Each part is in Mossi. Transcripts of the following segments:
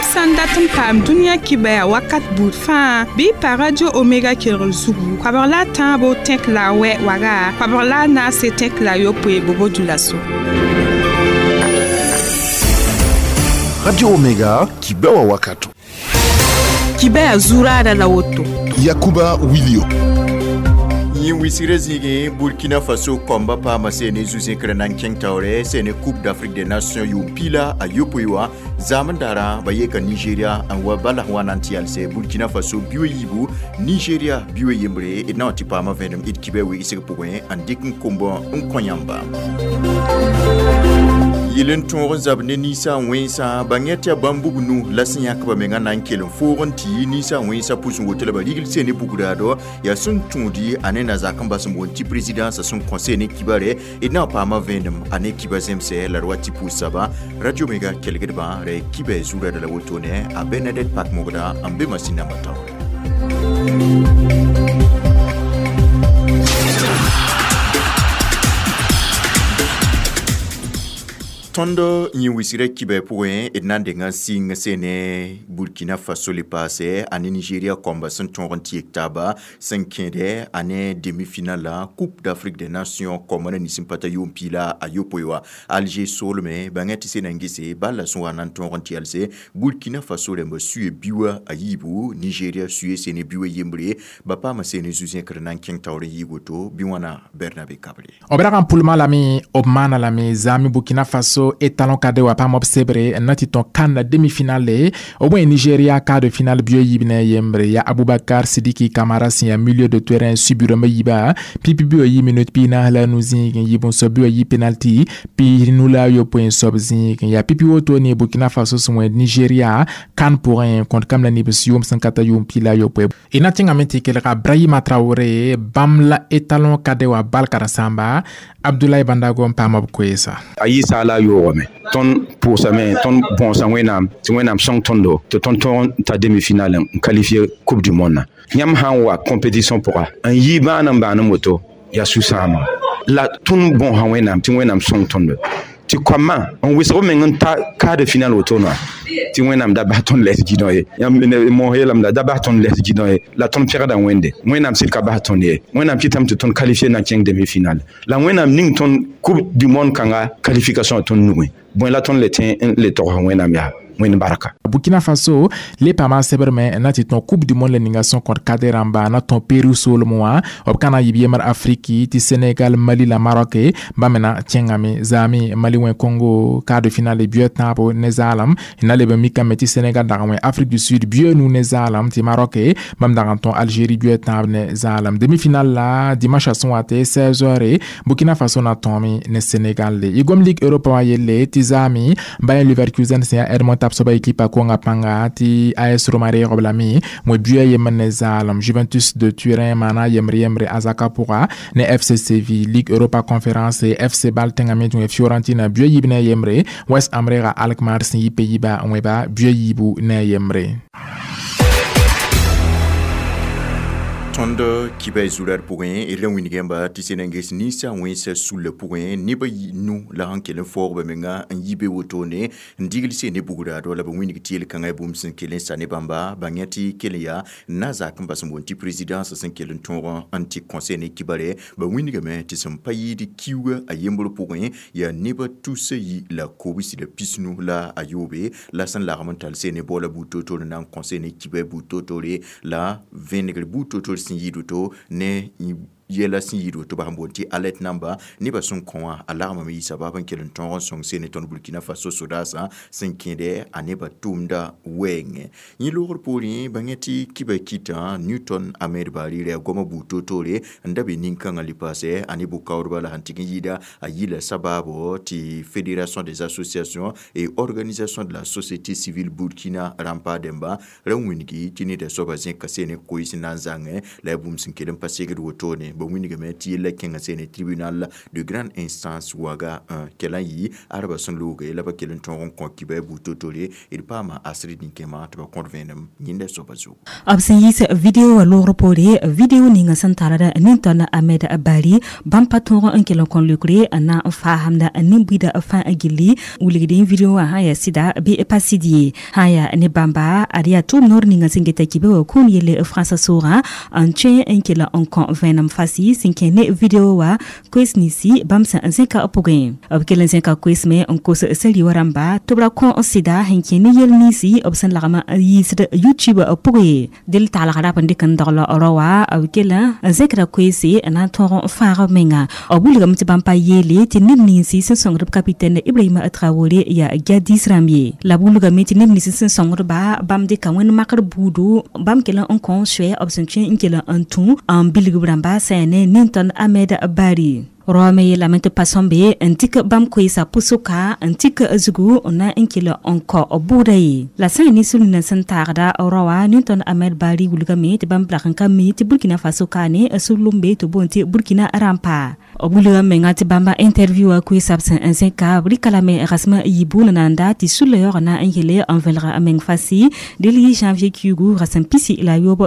Yãmb sã n dat n paam dũniyã kibɛa wakat buud fãa bɩ y pa Radio Omega kelgr zugu koabg la a tãabo tẽk la a wɛ waga koabg la a naase tẽk la a yopoe bobo dulaso. Radio Omega kibɛwa wakato. Kibɛa zuraada la woto. Yakuba Wilio. Yẽ wisgrã zĩigẽ Burkina Faso kɔmbã paama seene zu-zẽkrã na n kẽng taoorɛ seene Coupe d'Afrique des Nations yʋʋm piila a yopoe wã zaam n darã ba yeka Nigeria n wa bala sẽn wa na n tɩ yalsɛ Burkina Faso bio yiibu Nigeria bio yembre d na n tɩ paama vẽenem d kibɛ wegsg pʋgẽ n dɩk n komb n kõ yãmba. Yel n tõog n zab ne ninsã wẽnsã ba yẽ tɩ yaa bãmb bug nu la sẽn yãk ba menga na n kell n foog n tɩ yi ninsã wẽnsã pʋs n woto la ba rigl seen ne bugraado yaa sẽn tũudi a ne na-zak n bas n boond tɩ présidence sẽn kõ seen ne kibare d na n paama vẽenem a ne kiba zemsɛ la d wa tɩ pʋʋs saba Radio Omega kelgdbã ra kibɛ zurada la wotone a Bernadette Pak mogda n be masĩn nambã taoore. Tõnd yẽ wisgrã kibɛ pʋgẽ d na n deng n sɩng seene Burkina Faso le paasɛ a ne Nigeria kɔmba sẽn tõog n tɩ yek taaba sẽn kẽedɛ a ne demi-finale la Coupe d'Afrique des Nations kɔmbã na nins n pa ta yʋʋm piila a yopoe wã Alger soolmẽ bãngã tɩ sena n gese bal la sẽn wa na n tõog n tɩ yalse Burkina Faso rãmba suye biuwa a yiibu Nigeria suye seene biuwa yembre ba paama seene zu-zẽkr na n kẽng taoor n yɩɩg woto bɩ wãna Bernabe Kabre. B rag n pʋlmã lame b maana lame zaami Burkina Faso étalon cadet wa paam b sebre n na tɩ tõe kãnna demi-finale b wẽ Nigeria quart de finale bio yiib ne yembre ya Abubakar Sidiki Kamara sẽn yaa milieu de terrain subi rãmbã yiiba pipi bio yi minute piig naas la nu zĩig n yɩ bõn-soab bio yi penalty piig nu la a yopoe n soab zĩig n yaa pipi woto ne Burkina Faso sẽn wẽed Nigeria kan pʋgẽ kõt kam la nibs yʋʋm sẽn ka ta yʋʋm piig la a yopoe y na tẽngame tɩ kelga Brahima Traoré bãmb la étalon cadet wa bal karen-saamba Abdoulaye Bandago n paam b koeesa. A yɩ saala yoogame tõnd pʋʋsame tõnd bõosa Wẽnnaam tɩ Wẽnnaam sõng tõndo tɩ tõnd tõog n ta demi-finale n qualifier Coupe du monde na yãmb sã n wa compétition pʋga n yɩ bãan n bãan n woto yaa sũ-sãama la tõnd bõosa Wẽnnaam tɩ Wẽnnaam sõng tõndo tɩ koamã n wɩsg meng n ta quart de finale wotona tɩ Wẽnnaam da bas tõnd lɛs gɩdõ ye yãmb moos yeelame la da bas tõnd lɛs gɩdõ ye la tõnd pẽgda Wẽnde Wẽnnaam sɩd ka bas tõnd ye Wẽnnaam kɩtame tɩ tõnd qualifier na n kẽng demi-finale la Wẽnnaam ning tõnd Coupe du monde kãnga qualification tõnd nugẽ bõe la tõnd le tẽ n le togs Wẽnnaam yaa Wẽnd barka. Burkina Faso le paama sebrme n na tɩ tõe Coupe du monde la ninga sẽn kõt kader rãmba na tõe Peru soolem wã b ka na n yɩ b yembr Afriki tɩ Sénégal Mali la Maroc bãmb me na kẽngame zaame Mali wẽ Congo quart de finale bio tãabo ne zaalem n na leb n mikame tɩ Sénégal dag n wẽ Afrique du Sud bio nu ne zaalem tɩ Maroc bãmb dag n tõe Algérie bio tãab ne zaalem demi-finale la dimanche sẽn wa tɩ 16h Burkina Faso na tõome ne Sénégal y gom Ligue Europa wã yelle tɩ zaame Bayer Leverkusen sẽn yaa Edmond Tapsoba ekipa konga panga tɩ AS Roma reegb lame wẽ buya yembr ne zaalem Juventus de Turin maana yembre yembre Azaka pʋga ne FC Séville Ligue Europa Conférence FC Bâle tẽngame tɩ wẽ Fiorentina buya yiib ne yembre West Ham reega Alkmaar sẽn yɩ pe-yiba n wẽba buya yiibu ne yembre. Tõnd kibɛ zurad pʋgẽ d ra wĩnigãmba tɩ sẽn na n ges ninsã wẽnsã sullã pʋgẽ nebã nu la sẽn kell n faoog ba menga n yi be wotone n digl seen ne bugraado la ba wĩnig tɩ yel-kãngã bũmb sẽn kell n sa ne bãmba bãng yã tɩ kell n yaa na-zak n bas n boond tɩ présidence sẽn kell n tõog n tɩ kõ seen ne kibare ba wĩnigame tɩ sẽn pa yɩɩd kiuga a yembr pʋgẽ yaa nebã tusa yi la kobsi la pisnu la a yoobe la sẽn lagm n tall seen ne baoola buud toor-toor n na n kõ seen ne kibɛ buud toor-toore la vẽnegr buud toor-toor sẽn yɩɩd woto ne yɛla sẽn yɩɩd woto ba sẽn boond tɩ alert namba nebã sẽn kõ wã a lagmame yɩ sabab n kell n tõog n sõng seen ne tõnd Burkina Faso sodaasã sẽn kẽedɛ a nebã tʋʋmda wɛɛngẽ yẽ loogr poorẽ bãng tɩ kibã kɩtã Newton Ahmed Bari ra goamã buud toor-toore n da be nin-kãngã le paasɛ a ne bʋ-kaoodba la sẽn tɩg n yɩɩda a yɩla sabaabo tɩ Fédération des associations et organisations de la société civile Burkina rãmpa dẽmba ra wĩngi tɩ neda soabã zẽka seen ne koees n na n zãngẽ la yaa bũmb sẽn kell n pa segd wotone Ba wĩnigame tɩ yella kẽnga sene tribunal de grande instance waga n kell n yɩ arba sẽn looge la ba kell n tõog n kõ kibɛ bu-totore d paama asri nin-kẽema tɩ ba kõt vẽenem yẽnda soaba zugu. B sẽn yiis video wã loogr poore, video ninga sẽn tarda nin-tõnd Ahmed Bari, bãmb pa tõog n kell n kõ leokre n na n faasamda nin-buiida fãa gilli. Wilgd video wã sã yaa sɩda bɩ pa sɩd ye, sã yaa ne bãmba ad yaa tʋʋm noor ninga sẽn geta kibe wã kũun yelle frãnsã soogã n tõe n kell n kõ vẽenem fasi sẽn kẽ ne video wã koes ninsi bãmb sẽn zẽka pʋgẽ. B kell n zẽka koes me n kos sari wã rãmba tɩ b ra kõ sɩda sẽn kẽ ne yel ninsi b sẽn lagm n yiisd YouTube pʋgẽ ye. Del taalg rap n dɩk n dogl rao wã, b kell n zẽkra koeese n na n tõog n fãag b menga. B wilgame tɩ bãmb pa yeele tɩ neb ninsi sẽn sõngd b capitaine Ibrahima Traoré yaa jadis rãmb ye, la b wilgame tɩ neb nins sẽn sõngdba bãmb dɩka wẽnd makr buudu, bãmb kell n kõ soɛ b sẽn tõe n kell n tũ n bilg b rãmba sã yaa ne nin-tõnd Ahmed Bari. Raoã me yeelame tɩ pa sõmbe n dɩk bãmb koeesã pʋsʋka n tik zugu n na n kell n kao bʋʋda ye. La sã n ne sul-ninã sẽn taagda raoã nin-tõnd Ahmed Bari wilgame tɩ bãmb lag n ka mi tɩ Burkina Faso kaane sulumbe tɩ boond tɩ Burkina rãmpa. B wilga menga tɩ bãmba interview wã koeesã b sẽn n zẽka, b rɩka lame rasmã yibu nananda tɩ sulla yaoog na n yele n vẽlga a meng fasi del yɩ janvier kiugu rasem 13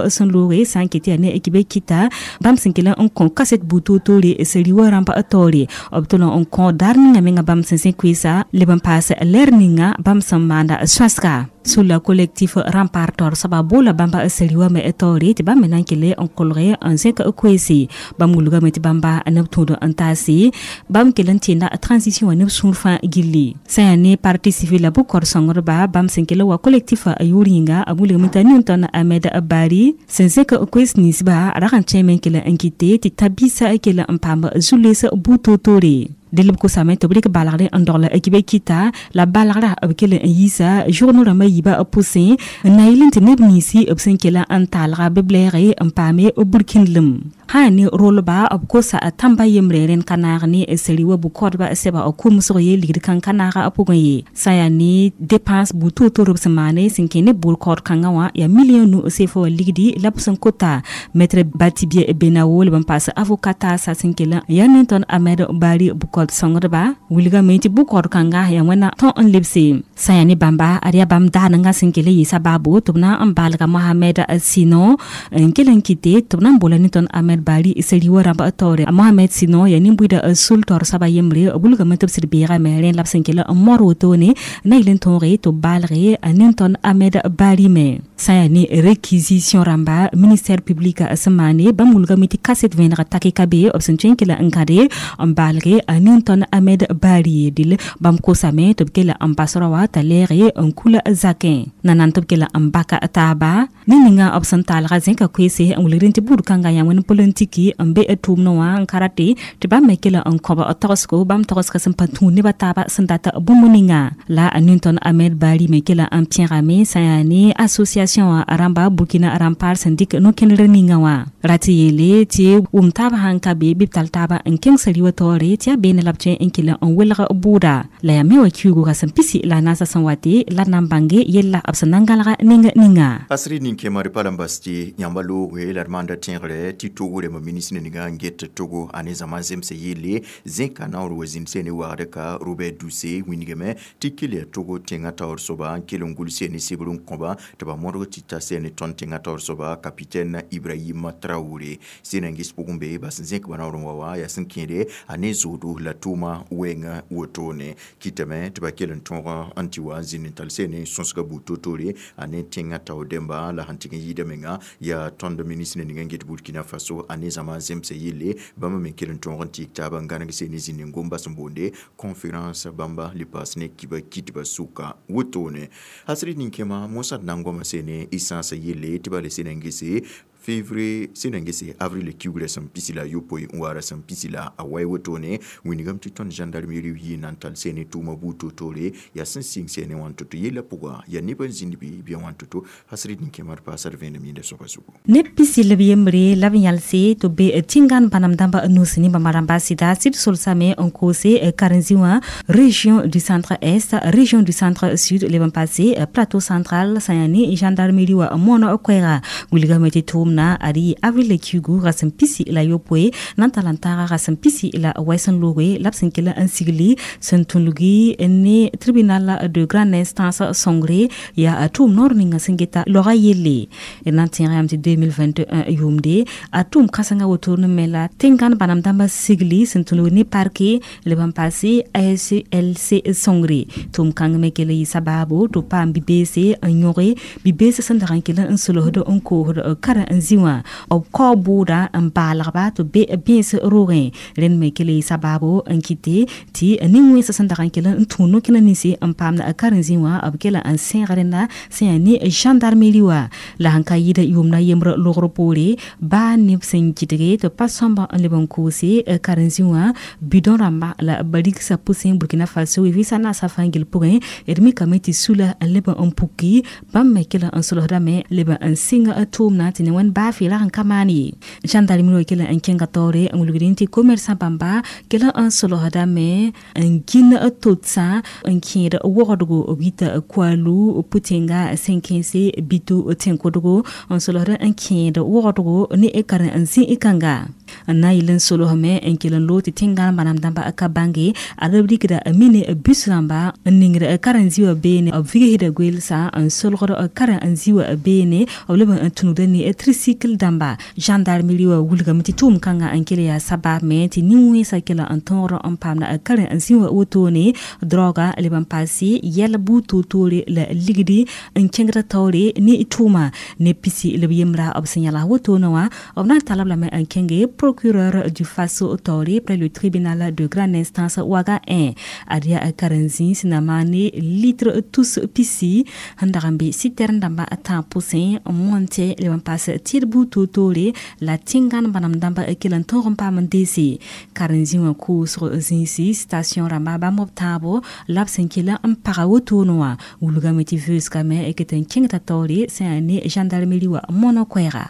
sẽn looge sã n ket yaa ne kibe kɩta bãmb sẽn kell n kõ kaset bu-toor-toore seri wã rãmba taoore. B tʋl n kõ daar ninga menga bãmb sẽn zẽ koeesa leb n paas lɛr ninga bãmb sẽn maanda sõasga. Sulla collectif Rempart taoor soaba boola bãmba seri wã me taoore tɩ bãmb me na n kell n kolge n zẽk koeese. Bãmb wilgame tɩ bãmba neb tũud n taase bãmb kell n tẽnda transition wã neb sũur fãa gilli. Sã yaa ne parti civil la bʋ-kɔr sõngdba bãmb sẽn kell wa collectif a yʋʋr yĩnga, b wilgame t'a nin-tõnd Ahmed Bari sẽn zẽk koees ninsba rag n tõeme n kell n kɩte tɩ ta-biisã kell n paam zu-loees bu-toor-toore. Del b kosame tɩ b rɩk balgre n dogl kibe kɩta la balgra b kell n yiisa journaux rãmbã yiibã pʋsẽ n na yɩl tɩ neb ninsi b sẽn kell n taalga bɩ blɛɛge n paame burkĩndlem. Sã yaa ne rolba b kosa tãmba yembre rẽnd ka naag ne seri wa bʋ-kaoodba sɛba kʋmsg ye ligd kãng ka naaga pʋgẽ ye. Sã yaa ne dépense bu-toor-toor b sẽn maane sẽn kẽ ne bʋʋl kaood kãngã wã yaa million nu sefa wã ligdi la b sẽn kota maître Batibie Benawo leb n paas avocat taasa sẽn kell n yaa nin-tõnd Ahmed Bari bʋ-kaood sõngdba wilgame tɩ bʋ-kaood kãnga yaa wẽnna tõ n lebse. Sã yaa ne bãmba ad yaa bãmb daanengã sẽn kell n yɩɩsa baabo tɩ b na n baalga Mohamed Sinon n kell n kɩte tɩ b na n boola nin-tõnd Ahmed Bari seri wã rãmb taoore. Mohamed Sinon yaa nin-buiidã sul taoor soaba yembre, b wilgame tɩ b sɩd beegame rẽ la b sẽn kell n modr wotone na yɩl n tõoge tɩ b baalge a nin-tõnd Ahmed Bari me. Sã yaa ne réquisition rãmba ministère public sẽn maane, bãmb wilgame tɩ kaset vẽeneg take ka be b sẽn tõe n kell n gãde n baalge a nin-tõnd Ahmed Bari. Dɩl bãmb kosame tɩ b kell n bas rao wã t'a lɛɛge n kula zakẽ nanan tɩ b kell n baka taaba ne ninga b sẽn taalga zẽka koeese n wilgd tɩ buud kãngã yaa wẽnd politiki n be tʋʋmdẽ wã n ka rate tɩ bãmb me kell n kõb tagsgo bãmb tagsga sẽn pa tũud nebã taaba sẽn dat bũmb ninga. La a nin-tõnd Ahmed Bari me kell n pẽgame sã yaa ne association wã rãmba Burkina Rempart sẽn dɩk no-kẽnder ninga wã rat yeele tɩ wʋm taab sãn ka be bɩ b tall taaba n kẽng sari wã taoore tɩ yaa beene la b tõe n kell n welg bʋʋda. La yaa me wã kiugu rasem 14 sẽn wate la d na n bãnge yella b sẽn na n gãlga neng ninga. Asri nin-kẽema d pa la n bas tɩ yãmba looge la d maanda tẽegre tɩ Togo rẽmba ministre ninga n get Togo a ne zãma zemse yelle zẽka naoor wa zĩnd sene wagd ka Robert Dussey wĩnigame tɩ kell yaa Togo tẽngã taoor soaba n kell n gʋls ne sebr n kõba tɩ ba modg tɩ ta sene tõnd tẽngã taoor soaba capitaine Ibrahim Traoré. Sẽn n ges pʋgẽ be bas n zẽk ba naoor n wa wã yaa sẽn kẽede a ne zoodo la tʋʋma wɛɛngã wotone kɩtame tɩ ba kell n tõog n tɩ wa n zĩnd n tall sene sõsga bu-to-toore a ne tẽngã taoor dẽmba la sẽn tɩg n yɩɩda menga yaa tõnd ministre ning n get Burkina Faso a ne zãma zemse yelle bãmba me kell n tõog n tɩɩg taaba n gãneg sene zĩnd n gom bas n boonde conférence bãmba le paas ne kiba kitba sʋka wotone. Asri nin-kẽema mosã d na n goama sene essence yelle tɩ ba le sene n gese février sẽn na n gese avril kiugrã sẽn 18 n wa rasem 18 wotone wĩnigame tɩ tõnd gendarmerie yɩ na n tall sene tʋʋma buud to-toore yaa sẽn sɩng sene wã n to-to yella pʋga yaa neb n zĩnd bɩ bɩ wã n to-to asri nin-kẽema d paasa d vẽenem yẽnda soaba zugu. Neb pisi la b yembre la b yãlse tɩ b be tĩngan bãnem dãmba nus ne bãmba rãmba sɩda sɩd solsame n koose karen-zĩ wã région du centre est, région du centre sud leb n paase plateau central sã yaa ne gendarmerie wã moon koɛɛga wilgame tɩ tʋʋmda tʋʋmna ad yɩ avril kiugu rasem pisi la yopoe na n tall n taaga rasem pisi la wɛs n looge la b sẽn kell n sigli sẽn tũlgi ne tribunal de grande instance sõngre yaa tʋʋm noor ninga sẽn geta loga yelle d na n tẽega yam tɩ 2021 yʋʋmde a tʋʋm kãsenga wotone me la tẽngãn bãnam dãmba sigli sẽn tũlg ne parke leb n paase ASLC sõngre tʋʋm kãng me kell yɩ sabaabo tɩ paam bi-beese n yõge bi-beese sẽn dag n kell n solsd n koosd karen-zĩ wã b kao bʋʋda n baalgba tɩ be bẽes roogẽ rẽnd me kell yɩ sabaabo n kɩte tɩ nin-wẽnsã sẽn dag n kell n tũ no-kẽna ninsi n paamd karen-zĩ wã b kell n sẽeg rẽnda sẽn yaa ne gendarmerie wã la sẽn ka yɩɩd yʋʋmda yembr logr poore baa neb sẽn gɩdge tɩ pa sõmba n leb n koose karen-zĩ wã bidon rãmba la barigsa pʋsẽ Burkina Faso vɩɩsã naasã fãa gil pʋgẽ d mikame tɩ sula n leb n puki bãmb me kell n solsdame leb n sɩng tʋʋmna tɩ ne wẽnd baa fɩ rag n ka maan ye gendarmerie wã kell n kẽnga taoore n wilgdẽ tɩ commerçant bãmba kell n solsdame n gĩn totsã n kẽed wogdgo b yita kualu pʋtẽnga sẽn kẽese bito tẽn-kodgo n solsd n kẽed wogdgo ne karen n zĩ kãnga n na n yɩl n solsme n kell n loog tɩ tẽngã bãnam dãmba ka bãnge ad b rikda mine bus rãmba n ningd karen-zĩ wã beene b vigsda goeelsa n solgd karen-zĩ wã beene b leb n tũnugda ne tricycle dãmba gendarmerie wã wilgame tɩ tʋʋm kãngã n kell yaa sabaab me tɩ nin-wẽnsã kell n tõogd n paamda karen-zĩ wã wotone droga leb n paase yɛl buud toor-toore la ligdi n kẽngd taoore ne tʋʋma ne pisi lb yembra b sẽn yãls wotone wã b na n tall b lame n kẽnge procureur du Faso taoore près le tribunal de grande instance Ouaga 1 ad yaa karen-zĩ sẽn na maane litre tus pisi sẽn dag n be citerne dãmba a tã pʋsẽ n monte leb n paas tɩd buud toor-toore la tẽngãn bãnam dãmba kell n tõog n paam n deese karen-zĩ wã koosg zĩisi station rãmba bãmb b tãabo la b sẽn kell n paga wotone wã wilgame tɩ vɩʋʋsgame ket n kẽngda taoore sẽn yaa ne gendarmerie wã mono koɛɛga.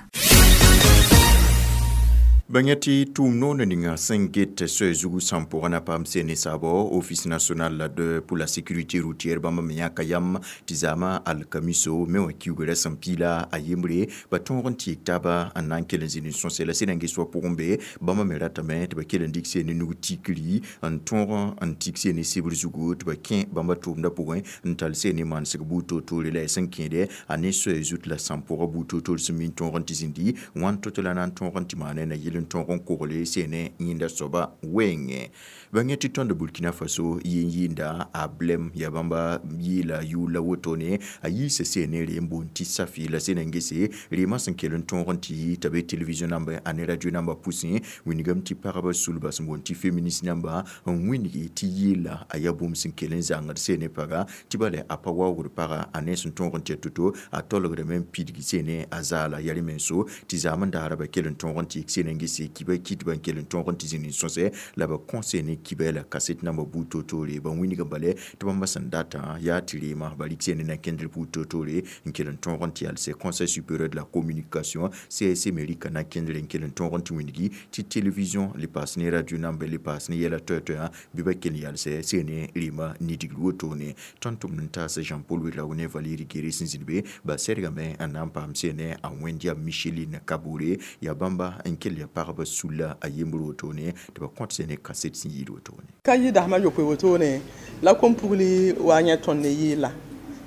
Bãng tɩ tʋʋm noor ninga sẽn get soɛ zugu sãn pʋgã na paam seen ne saabɔ Office national pour la sécurité routière bãmb me yãka yam tɩ zaamã alkamiso me wã kiugrã sẽn piila a yembre ba tõog n tɩɩg taaba n na n kell n zĩnd n sõse la sẽn n ges wã pʋgẽ be bãmb me ratame tɩ ba kell n dɩk seen ne nug tikri n tõog n tik seen ne sebr zugu tɩ ba kẽ bãmba tʋʋmdã pʋgẽ n tall seen ne manesg buud toor-toore la sẽn kẽede a ne soɛ zut la sãn pʋgã buud toor-toor sẽn min tõog n tɩ zĩndi wãn to-to la na n tõog n tɩ maane na yɩl n tõog n kogle sene yẽnda soaba wengẽ bãng tɩ tõnd Burkina Faso yɩ yɩɩnda a blem yaa bãmba yɩɩla yʋʋl la wotone a yiisa sene reem boond tɩ safi la sẽn n gese reemã sẽn kell n tõog n tɩ yɩ t'a be télévision namba a ne radio namba pʋsẽ wingame tɩ pagba sulba sẽn boond tɩ féministe namba n wĩngi tɩ yɩɩla a yaa bũmb sẽn kell n zãngd sene paga tɩ bala a pa waoogd paga a ne sẽn tõog n tɩ to-to a tolgdame n pidg sene a zaala yaa rẽ menso tɩ zaam n daara ba kell n tõog n tɩ sẽn n gese kiba kɩtba n kell n tõog n tɩ zĩnd n sõsɛ la ba kõ sene kiba la kaset namba buud toor-toore ba wĩnga bale tɩ bãmba sẽn datã yaa tɩ reema ba rɩk sene na kẽndr buud toor-toore n kell n tõog n tɩ yalsɛ Conseil supérieur de la communication CSC me rɩka na kẽndr n kell n tõog n tɩ wĩngi tɩ télévision le paas ne radio namba le paas ne yɛla toɛ-toɛã bɩ ba kell n yalsɛ sene reema nidigr wotone tõnd tʋmd n taas Jean Paul Ouedraogo ne Valérie Guéré sẽn zĩnd be ba sɛrgame n na n paam sene a wẽnd Micheline Kabore yaa bãmba n kell yaa pagba sulla a yembr wotone tɩ ba kõt sene kaset sẽn yɩɩd wotone ka yɩ dasmã yopoe wotone la kom-pugli wa yẽ tõnd ne yɩɩla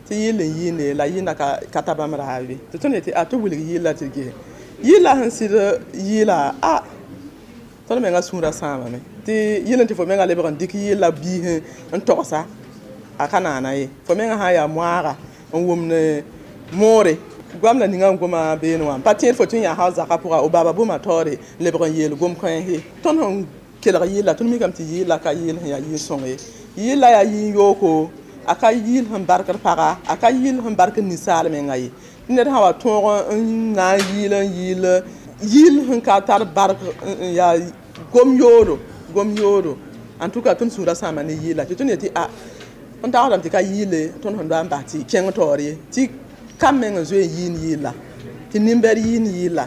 tɩ yɩɩl n yɩɩne la yɩɩna ka ta bãmb raabe tɩ tõnd yetɩ a tɩ wilg yɩɩla tɩ ges yɩɩla sẽn sɩd yɩɩla a tõnd mengã sũurã sãamame tɩ yɩl n tɩ fo mengã lebg n dɩk yɩɩla biis n togsa a ka naana ye fo mengã sã n yaa moaaga n wʋmd moore goam la ninga n goma beene wã pa tẽed fo tɩ n yaa hal zakã pʋga o baaba bũmba taoore n lebg n yeel gom kãens tõnd sẽn kelg yɩɩla tõnd mikame tɩ yɩɩla ka yɩɩl sẽn yaa yɩɩl sõng ye yɩɩla yaa yɩɩ yooko a ka yɩɩl sẽn barkd paga a ka yɩɩl sẽn barkd ninsaal menga ye tɩ ned sã wa tõog n na n yɩɩl n yɩɩl yɩɩl sẽn ka tar bark n yaa gom yoodo gom yoodo en tout cas tõnd sũurã sãama ne yɩɩla tɩ tõnd yetɩ a n tagsdame tɩ ka yɩɩle tõnd sẽn doa n bas tɩ kẽng taoor ye tɩ kam meng n zoe n yɩɩn yɩɩla tɩ nin-bɛd yɩɩn yɩɩla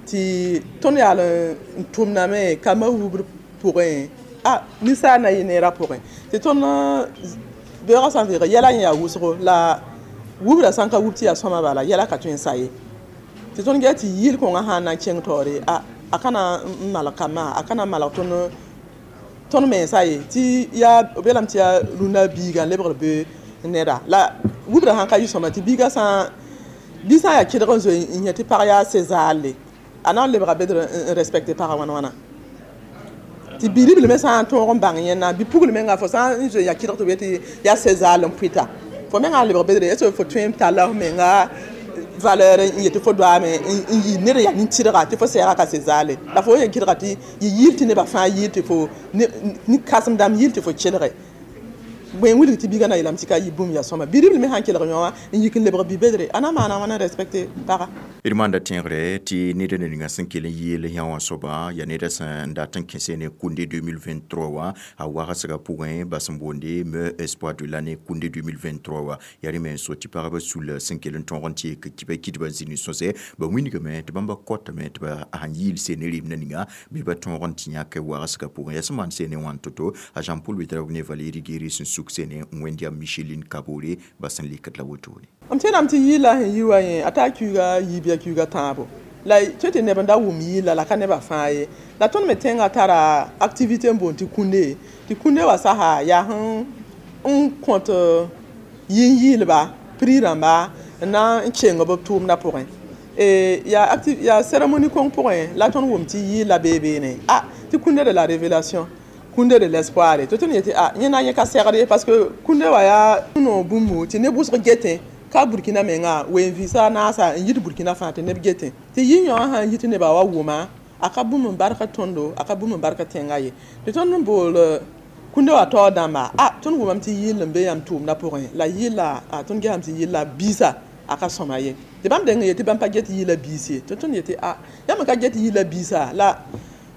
tɩ tõnd yaal n tʋmdame kambã wubr pʋgẽ a ninsaal na yɩ neerã pʋgẽ tɩ tõnd beoogã sã n veeg yɛla yẽ yaa wʋsgo la wubra sã n ka wub tɩ yaa sõma bala yɛla ka tõe n sa ye Tɩ tõnd ges tɩ yɩɩl kõngã sã n na n kẽng taoore, a ka na n malg kambã, a ka na n malg tõnd mensã ye, tɩ yaa b yeelame tɩ yaa rũnna biiga n lebgd be neda. La wubra sãn ka yɩ sõma tɩ biigã sã bi sã n yaa kɩdg n zoe n yẽ tɩ pag yaa sezaale, a na n lebga bedr n respecte pagã wãn wãna. Tɩ bi-ribl me sã n tõog n bãng yẽnna, bi-pugl menga fo sã n zoe n yaa kɩdg tɩ b yetɩ yaa sezaal n pʋɩta, fo mengã n lebg bedre, est ce que fo tõe n talla f menga valeur n yetɩ fo doaame n yɩ ned yaa nin-tɩrga tɩ fo sɛɛga ka sezaale? La fo yen kɩdga tɩ yɩ yɩɩl tɩ nebã fãa yɩɩl tɩ fo nin-kãsem-dãmb yɩɩl tɩ fo kelge. Bõe n wilg tɩ biigã na yeelame tɩ ka yɩ bũmb yaa sõma? Bi-ribl me sãn kelg yõ wã n yik n lebg bi-bedre, a na maana wãna n respecte paga. D maanda tẽegre tɩ ned n ninga sẽn kell n yeel yã wã soaba yaa neda sẽn dat n kẽse ne Kũnde 2023 wã, a wagsgã pʋgẽ ba sẽn boonde meilleur espoir de l'année Kũnde 2023 wã. Yaa rẽ me n so tɩ pagba sul sẽn kell n tõog n tɩ yek kibã kɩdbã zĩni sõsɛ, ba wilgame tɩ bãmba kotame tɩ ba sãn yɩɩl seen ne rɩmdã ninga bɩ ba tõog n tɩ yãk wagsgã pʋgẽ. Yaa sẽn maan seen ne wãn to-to a Jean-Paul Ouedraogo ne Valérie Guéry sẽn suk sene n wẽnd yaa Micheline Kabore ba sẽn lekd la wotone. M tẽedame tɩ yɩɩla sẽn yi wa yẽ, a taa kiuga yiib yaa kiuga tãabo. La tõe tɩ neb n da wʋm yɩɩla la ka nebã fãa ye. La tõnd me tẽngã tara activité n boond tɩ kũnde, tɩ kũnde wã sasa yaa sẽn n kõt yĩn-yɩɩlba prix rãmba n na n keng b tʋʋmdã pʋgẽ. Yaa cérémonie kõng pʋgẽ la tõnd wʋm tɩ yɩɩla bee beene, a tɩ kũnde de la révélation, kũnde de l'espoir, tɩ tõnd yetɩ a yẽ na yẽ ka segd ye, parce que kũnde wã yaa no bũmbu tɩ neb wʋsg getẽ ka Burkina menga wen visa naasa n yit Burkina fãa tɩ neb getẽ. Tɩ yɩ yõ sãn yit nebã wa wʋma, a ka bũmb n barka tõndo, a ka bũmb n barka tẽngã ye. Tɩ tõnd n bool kũnde wã taoor dãmba, a tõnd wʋmame tɩ yɩɩl n be yãmb tʋʋmdã pʋgẽ, la yɩɩla a tõnd gesame tɩ yɩɩla biisa a ka sõma ye. Tɩ bãmb deng n yetɩ bãmb pa get yɩɩla biis ye. Tɩ tõnd yetɩ a yãmb n ka get yɩɩla biisa la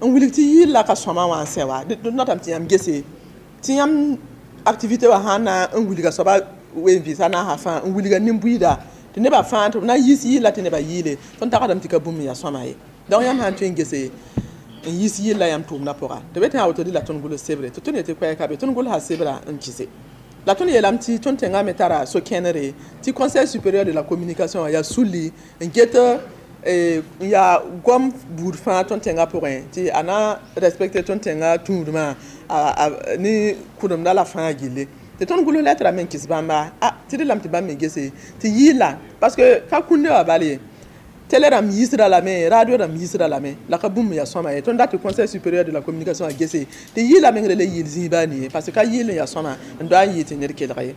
n wilg tɩ yɩɩla ka sõma wã n sɛ wa, d notame tɩ yãmb gese tɩ yãmb activité wã sãn na n wilga soaba wen vɩɩsa naasã fãa n wilga nin-buiida tɩ nebã fãa tɩ b na n yiis yɩɩla tɩ nebã yɩɩle, tõnd tagsdame tɩ ka bũmb yaa sõma ye. Donc yãmb sãn tõe n gese n yiis yɩlla yãmb tʋʋmdã pʋga, tɩ b tɩ a woto la tõnd gʋls sebre, tɩ tõnd yetɩ koɛɛka be tõnd gʋlsa sebra n kɩse. La tõnd yeelame tɩ tõnd tẽngã me tara so-kẽnere tɩ Conseil supérieur de la communication yaa sulli n get n yaa goam buud fãa tõnd tẽngã pʋgẽ tɩ a na respecte tõnd tẽngã tũudmã ne kʋdemda la fãa gilli. Tɩ tõnd gʋls lɛtra me n kɩs bãmba, a tɩ d lame tɩ bãmb me gese tɩ yɩɩla, parce que ka kũnde wã bal ye, télé rãmb yiisda lame, radio rãmb yiisda lame, la ka bũmb yaa sõma ye. Tõnd dat tɩ Conseil supérieur de la communication a gese tɩ yɩɩla meng le yɩɩl zĩiba nie, parce que ka yɩɩl n yaa sõma n doa n yɩɩ tɩ ned kelg ye.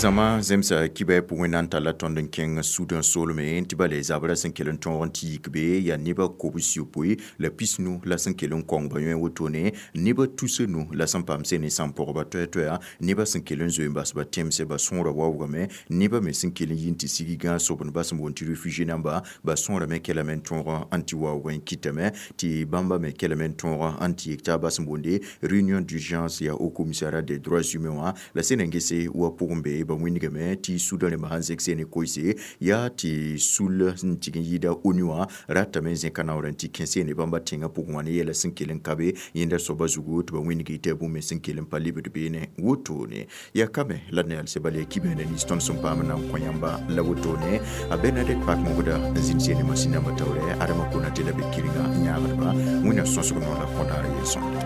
Zãma zemsa kibɛ pʋgẽ na n talla tõnd n kẽng Sudã soolme tɩ ba le zabra sẽn kell n tõog n tɩ yik be yaa nebã kobs-yopoe la pisnu la sẽn kell n kõng ba yõ wotone, nebã tus-nu la sẽn paam sene sãn-pɔgba toɛ-toɛa, nebã sẽn kell n zoe n bas ba tẽmse ba sõora waoogame, nebã me sẽn kell n yi n tɩ sig gãag sobend ba sẽn boond tɩ réfugié namba ba sõorame kɛlame n tõog n tɩ waoog n kɩtame, tɩ bãmba me kɛlame n tõog n tɩ yek taaba sẽn boonde réunion d'urgence yaa au commissariat des droits humains wã. La sẽn n gese wa pʋgẽ be ba wĩndgame tɩ Sudã rẽmba sãn zẽk sene koeese yaa tɩ sul n tig n yɩɩda ONU wã ratame n zẽka naoor n tɩ kẽ sene bãmba tẽngã pʋgẽ wã ne yɛla sẽn kell n ka be yẽnda soaba zugu tɩ ba wĩndg tɩ yaa bũmb me sẽn kell n pa lebd beene wotone. Yaa kame la d na yalse bala yaa kibẽena nins tõnd sẽn paam n na n kõ yãmba la wotone. A Bernadette Pak-Mogda n zĩnd sene masĩn nambã taoorɛ Adama Konate la be kɩrenga n yãagdba wẽnnaam sõsg noor la kõdaara yel-sõmde.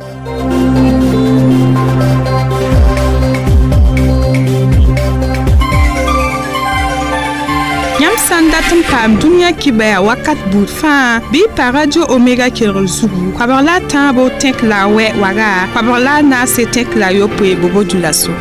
Yãmb sã n dat n paam dũniyã kibɛa wakat buud fãa, bɩ y pa Radio Omega kelgr zugu, koabg la a tãabo tẽk la a wɛ waga, koabg la a naase tẽk la a yopoe bobo dulaso.